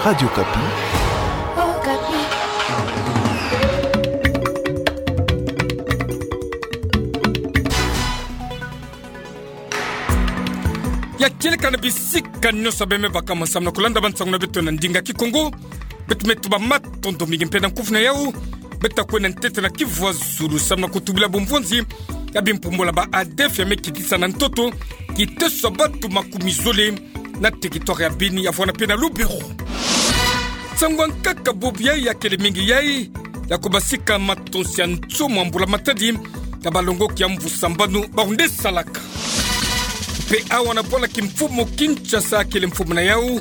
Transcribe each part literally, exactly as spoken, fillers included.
Radio Okapi. Ya kieleka na bisika nyonso bemebaka mo samu na kulanda bansangu na beto na ndinga Kikongo. Beto me tuba matondo mingi mpe na nkufi na yau. Beto ta kwenda ntete na Kivu ya Zulu samu na kutubila bumvonzi ya bimpumbula ba ADF ya me kitisa na ntoto kiteso ya bantu makumi zole na territoire ya Beni ya vwanda mpe na Lubero. Nsangu ya nkaka bubu yai ya kele mingi yai ya kubasika matonsi ya nsomo ya mbula matadi ya balongoki ya mvu sambanu bawu nde salaka. Mpe awa na bwala kimfumu Kinshasa kele mfumu na yau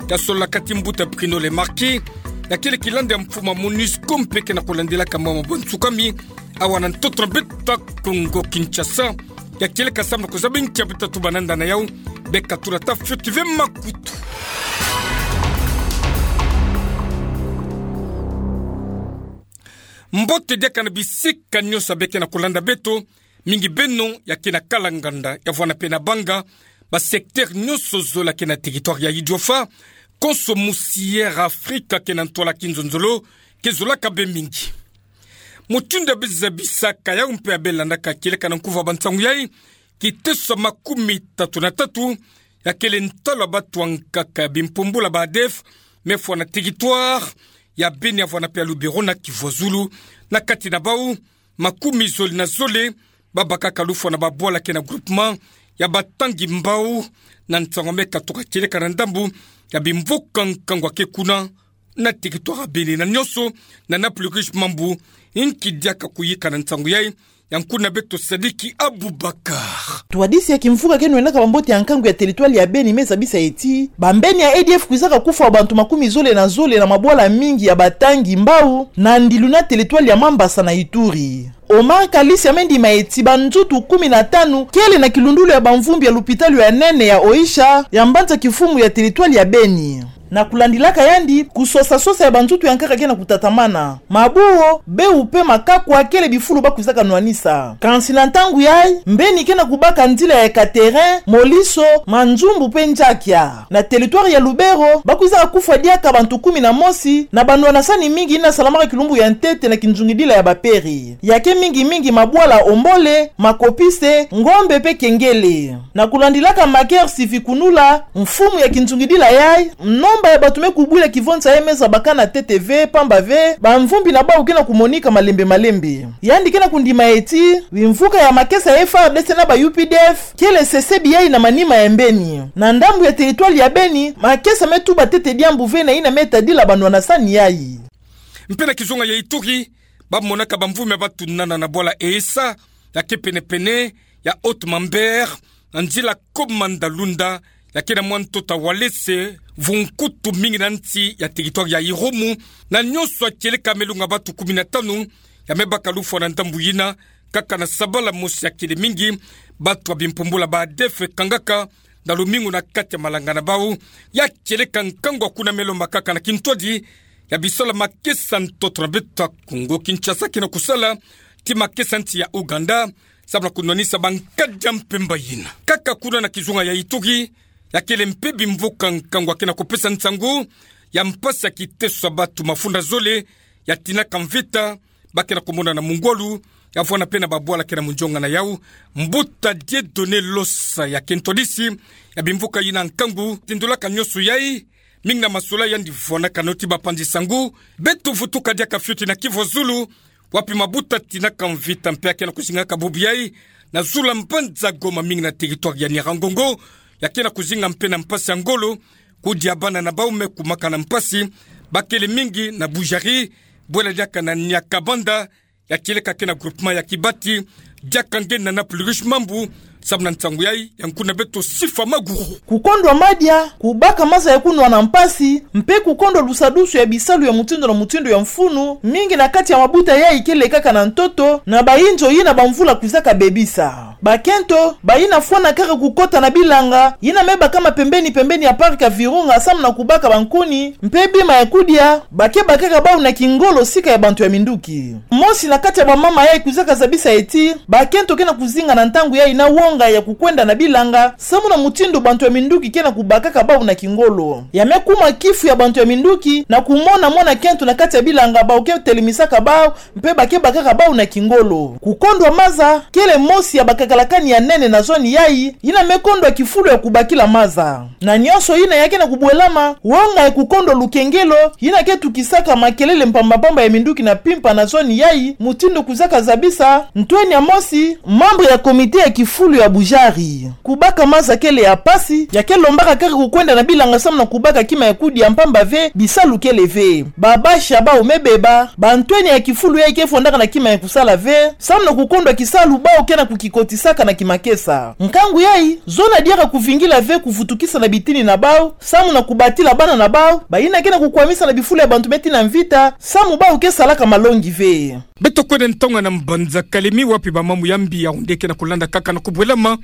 ya solola kati mbuta Bruno Le Marquis ya kele kilandi ya mfumu ya MONUSCO mpe ke na kulandilaka mambu ya nsukami awa na ntoto na beto ya Kongo Kinshasa. Ya kieleka samu na kuzaba nkia beto ta tuba na nda na yau, beka tula ta fioti ve makutu. Mbote diaka na bisika nyonso beke na kulanda beto, mingi beno ya ke na kala nganda ya vwanda mpe na banga, ba secteur nyonso zole ke na territoire ya Idiofa, konso musi Air Afrique ke na ntwala kinzonzolo, ke zolaka be mingi. Mutindu ya bezabisaka yau mpe ya belandaka kieleka na nkufi ya bansangu yai, kiteso ya makumi tatu na tatu ya kele ntalu ya bantu ya nkaka ya bimpumbula ba ADF me fwa na territoire ya Beni ya vwanda mpe ya Lubero na Kivu ya Zulu, na kati na bawu makumi zole na zole babakaka lufwa na babwala ke na groupement ya Batangi Mbao, na nsangu me katuka kieleka na ndambu ya bimvuka nkangu ya ke kuna na territoire ya Beni na nyonso, na Naples Riche Mambu, nki diaka kuyika na nsangu yai, ya nkuna beto Sadiki Abubakar. Twadisi ya kimvuka ke nwenaka bambote ya nkangu ya territoire ya Beni me zabisa ti bambeni ya ADF kwizaka kufwa bantu makumi zole na zole na mabwala mingi ya Batangi Mbao na ndilu na territoire ya Mambasa na Ituri. Omar Kalisi ya me ndima ti banzutu kumi na tanu kele na kilundulu ya bamvumbi ya lupitalu ya nene ya Oicha ya mbanza kifumu ya territoire ya Beni. Na kulandilaka yandi, kusosasosa ya banzutu ya nkaka ke na kutatamana. Mabuo, bewu mpe makakwa kele bifulu bakwizaka nwanisa. Kansi na ntangu yai, mbeni ke na kubaka nzila ya Ekaterin, Moliso, Manzumbu mpe Nzakia. Na territoire ya Lubero, bakwizaka kufwa diaka bantu kumi na mosi na banwanasani mingi yina salamaka kilumbu ya ntete na kinzungidila ya bapere. Ya ke mingi mingi mabwala Ombole, Makopise, Ngombe mpe Kengele. Na kulandilaka Maker Sivikunula, mfumu ya kinzungidila yai, nomba ya bantu me kubwila kivonza yai me zabakana ntete ve, pamba ve bamvumbi na bawu ke na kumonika malembe malembe. Yandi ke na kundima ti bimvuka ya makesa ya FARDC na ba UPDF kele sesebi yai na manima ya mbeni. Na ndambu ya territoire ya Beni, makesa me tuba ntete diambu ve na yina me tadila banwanasani yai. Mpe na kizunga ya Ituri, bamonaka bamvumbi ya bantu nana na bwala Esa, ya ke penepene ya Haut Mambere, na nzila Komanda Lunda, ya ke na mwa ntoto ya Walese, vunkutu mingi na nsi ya territoire ya Irumu, na nyonso ya kieleka me lunga bantu kumi na tanu ya me baka lufwa na ndambu yina, kaka na sabala mosi ya kele mingi, bantu ya bimpumbula ba ADF kangaka na lumingu na kati ya malanga na bawu. Ya kieleka nkangu ya kuna me lomba kaka na kintwadi ya bisalu ya makesa ntoto na beto ya Kongo Kinshasa ke na kusala ti makesa nsi ya Ouganda, samu na kunwanisa bankadi ya mpemba yina. Kaka kuna na kizunga ya Ituri, ya kele mpe bimvuka nkangu ya ke na kupesa nsangu ya mpasi ya kiteso ya bantu mafunda zole ya tinaka mvita, ba ke na kumona na mungwalu, ya vwanda mpe na babwala ke na munzonga na yawu. Mbuta Dieudonné Losa ya ke ntwadisi ya bimvuka yina nkangu, tindulaka nyonso yai, mingi na masola yandi vwanaka noti bapanzi sangu. Beto vutuka diaka fioti na Kivu ya Zulu, wapi mabuta tinaka mvita mpe ya ke na kuzingaka bubu yai na zulu ya mbanza Goma, mingi na territoire ya Nyiragongo, ya ke na kuzinga mpe na mpasi ya ngolo, kudia bana na bawu me kumaka na mpasi, ba kele mingi na Budjari, bwela diaka na Nyakabanda, ya kieleka ke na groupement ya Kibati, diaka nge na Naples Riche Mambu, samu na nsangu yai, ya nkuna beto Sifa Maguru. Kukondwa madia, kubaka maza ya kunwa na mpasi, mpe kukondwa lusadusu ya bisalu ya mutindu na mutindu ya mfunu, mingi na kati ya mabuta yai kele kaka na ntoto, na bayinzo yina bamvula kwizaka bebisa. Bakento, bayina fwana kaka kukota na bilanga yina me bakama pembeni pembeni ya parc ya Virunga samu na kubaka bankuni mpe bima ya kudia, ba ke bakaka bawu na kingolo sika ya bantu ya minduki. Mosi na kati ya bamama yai kwizaka zabisa ti Bakento ke na kuzinga na ntangu yayi na wonga ya kukwenda na bilanga, samu na mutindu bantu ya minduki ke na kubakaka bau na kingolo. Ya me kuma kifu ya bantu ya minduki na kumona mwana kento na kati ya bilanga bau ke telemisaka bau, mpe ba ke bakaka bau na kingolo. Kukondwa maza kele mosi ya bakakalakani ya nene na zoni yayi, yina me kondwa kifulu ya kubakila maza. Na nyonso yina ya ke na kubwelama, wonga ya kukondwa lukengelo, yina ke tukisaka makelele mpamba-mpamba ya minduki na mpimpa na zoni yayi, mutindu kwiza kazabisa ntweni ya mosi, membre ya komite ya kifulu ya Bujari. Kubaka maza kele ya mpasi, ya ke lombaka kaka kukwenda na bilanga samu na kubaka kima ya kudia mpamba ve, bisalu kele ve. Ba bashi ya bau me beba, bantweni ya kifulu yayi ke fondaka na kima ya kusala ve, samu na kukondwa kisalu bau ke na kukikotisaka na kimakesa. Nkangu yayi, zona diaka kuvingila ve kuvutukisa na bitini na bau, samu na kubatila bana na bau, bayina ke na kukwamisa na bifulu ya bantu me tina mvita, samu bau ke salaka malongi ve. Beto kwenda ntonga na mbanza Kalemi wapi bamambu ya mbi ya onde ke na kulanda kaka na kubwelama,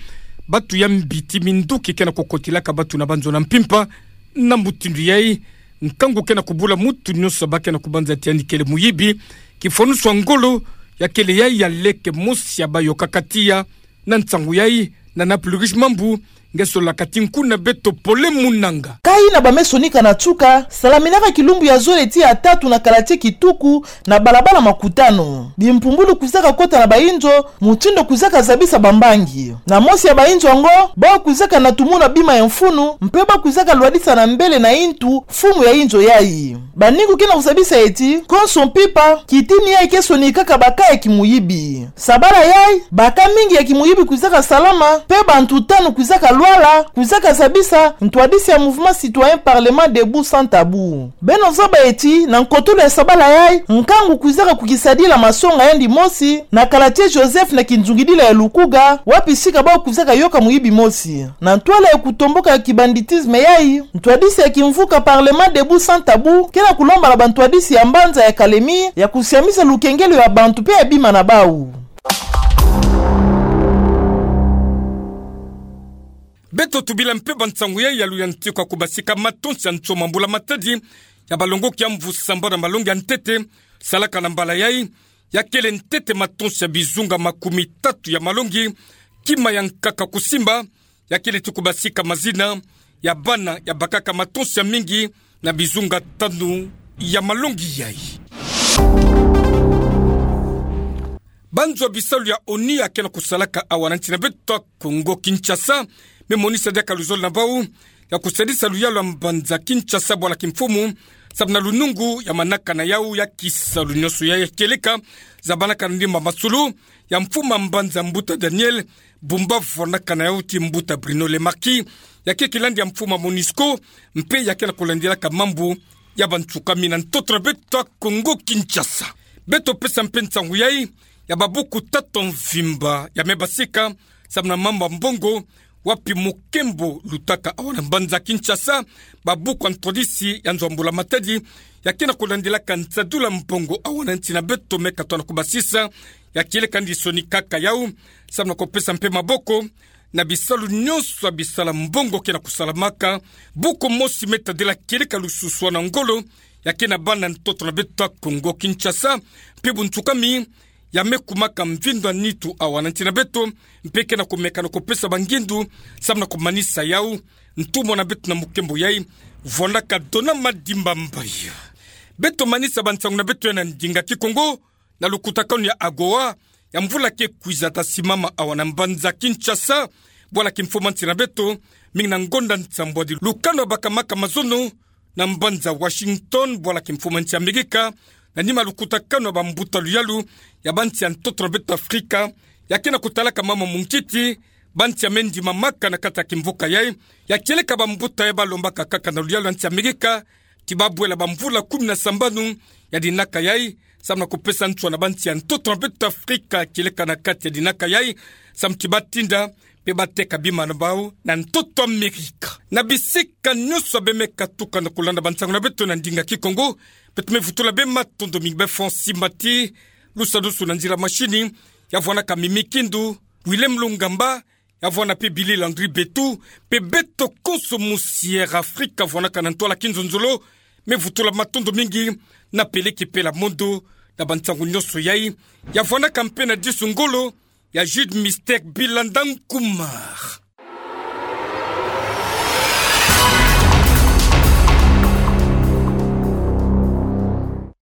batu ya mbi ti minduki ke na kukotilaka batu na banzo na mpimpa, na mutindu yayi, nkangu ke na kubula mutu nyonso ba ke na kubanza ti yandi kele muyibi, kifwanusu ya ngolo, ya kele yayi ya leke mosi ya bayokaka tiya, na nsangu yayi, na Nana Plurish Mambu, nge solaka ti nku na beto Pole Munanga. Ka yina ba me sonika na nsuka, salaminaka kilumbu ya zole ti ya tatu na kala ti kituku, na balabala Makutano. Bimpumbulu kwizaka kota na bayinzo, mutindu kwizaka zabisa bambangi. Na mosi ya bayinzo yango, bau kwizaka na tumuna bima ya mfunu, mpe bau kwizaka lwadisa na mbele na yintu, mfumu ya yinzo yayi. Baningu ke na kuzabisa ti, konso mpimpa, kitini yayi ke sonikaka ba ka ya kimuyibi. Sabala yayi, ba ka mingi ya kimuyibi kwizaka salama, mpe bantu tanu kwizaka lwala, kwizaka zabisa, ntwadisi ya Mouvement Citoyen Parlement Debout Sans Tabou. Beno zaba ti, na nkotolo ya sabala yayi, nkangu kwizaka kukisadila masonga yandi mosi, na kala ti Joseph na kinzungidila ya Lukuga, wapi sika bau kwizaka yoka muyibi mosi. Na ntwala ya kutomboka ya kibanditisme yayi, ntwadisi ya kimvuka Parlement Debout Sans Tabou, ke na kulomba na bantwadisi ya mbanza ya Kalemi, ya kusiamisa lukengelo ya bantu mpe ya bima na bau. Beto tubila mpe bansangu yayi ya luyantika kubasika matonsi ya nsoma mbula matadi, ya balongoki ya mvu sambanu na malongi ya ntete, salaka na mbala yayi, ya kele ntete matonsi ya bizunga makumi tatu ya malongi, kima ya nkaka kusimba, ya kele ti kubasika mazina ya bana ya bakaka matonsi ya mingi na bizunga tanu ya malongi yayi. Banzo ya bisalu ya ONU ya ke na kusalaka awa na nsi na beto Kongo Kinshasa, me monisa diaka luzolo na bau ya kusadisa luyalu ya mbanza Kinshasa bwala kimfumu, samu na lunungu ya manaka na yau ya kisalu nyonso ya kieleka, zabanaka na ndimba masolo ya mfumu a mbanza Mbuta Daniel Bumba, vwanaka na yau ti Mbuta Bruno Le Marquis, ya ke kilandi ya mfumu a MONUSCO, mpe ya ke na kulandilaka mambu ya bansuka mina ntoto na beto Kongo Kinshasa. Beto pesa mpe nsangu yayi, ya babuku tatu mvimba ya me basika, samu na mambu ya mbongo, wapi mukembo lutaka awa na mbanza Kinshasa, babuku ya ntwadisi ya nzo ya mbula matadi, ya ke na kulandilaka nsadulu ya mbongo awa na nsi na beto me katwa na kubasisa, ya kieleka ndi sonikaka yau, samu na kupesa mpe maboko, na bisalu nyonso ya bisala mbongo ke na kusalamaka, buku mosi me tadila kieleka lususwanu ya ngolo, ya ke na bana ntoto na beto Kongo Kinshasa, mpe bunsukami, ya me kumaka mvindu ya nitu awa na nsi na beto, mpe ke na kumeka na kupesa bangindu, samu na kumanisa yau, ntumwa na beto na mukembo yayi, vwanaka Dona Madimba Mbaye. Beto manisa bansangu na beto ya na ndinga Kikongo, na lukutakanu ya AGOA, ya mvula ke kwiza ta simama awa na mbanza Kinshasa, bwala kimfumu a nsi na beto, mingi na ngonda nsambwadi. Lukanu ya bakamaka mazono, na mbanza Washington, bwala kimfumu a nsi Amerika, na nima lukutakanu ya bambuta luyalu, ya bansi ya ntoto na beto Afrika, ya ke na kutalaka mama munkiti, bansi ya me ndimamaka na kati ya kimvuka yayi, ya kieleka bambuta ya balombaka kaka na luyalu ya nsi Amerika, ti babwela bamvula kumi na sambanu ya dinaka yayi, samu na kupesa nswa na bansi ya ntoto na beto Afrika, kieleka na kati ya dinaka yayi, samu ti batinda, mpe bateka bima na bau, na ntoto Amerika. Na bisika nyonso ya beno me katuka na kulanda bansangu na beto na ndinga Kikongo, beto me vutula beno matondo mingi, be Francis Mati, lusadusu na nzila mashini, ya vwanaka Mimi Kindu, Willem Lungamba, ya vwana mpe Billy Landry Betu, mpe beto konso musi Air Afrika vwanaka na ntwala kinzonzolo, me vutula matondo mingi na Peleki Pela Mondo, na bansangu nyonso yayi, ya vwanaka mpe na disu ngolo, Ya jut mistake bilang Dangkumar.